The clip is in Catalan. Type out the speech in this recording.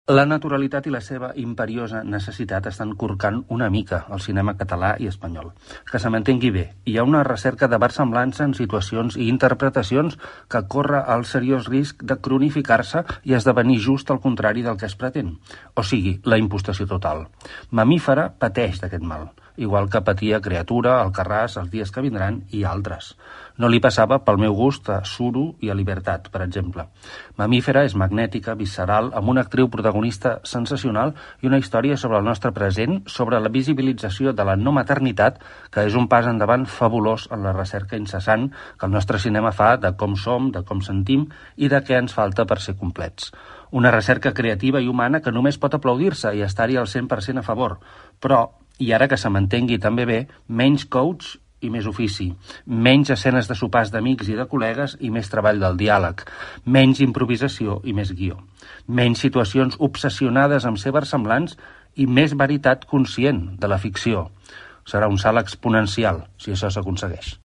La naturalitat i la seva imperiosa necessitat estan corcant una mica el cinema català i espanyol. Que se m'entengui bé, hi ha una recerca de versemblança en situacions i interpretacions que corre el seriós risc de cronificar-se i esdevenir just el contrari del que es pretén, o sigui, la impostació total. Mamífera pateix d'aquest mal, igual que patia Criatura, Alcarràs, Els dies que vindran i altres. No li passava pel meu gust a Suro i a Libertat, per exemple. Mamífera és magnètica, visceral, amb una actriu protagonista sensacional i una història sobre el nostre present, sobre la visibilització de la no maternitat, que és un pas endavant fabulós en la recerca incessant que el nostre cinema fa de com som, de com sentim i de què ens falta per ser complets. Una recerca creativa i humana que només pot aplaudir-se i estar-hi al 100% a favor. Però, i ara que se m'entengui també bé, menys coach i més ofici, menys escenes de sopars d'amics i de col·legues i més treball del diàleg, menys improvisació i més guió, menys situacions obsessionades amb ser versemblants i més veritat conscient de la ficció. Serà un salt exponencial si això s'aconsegueix.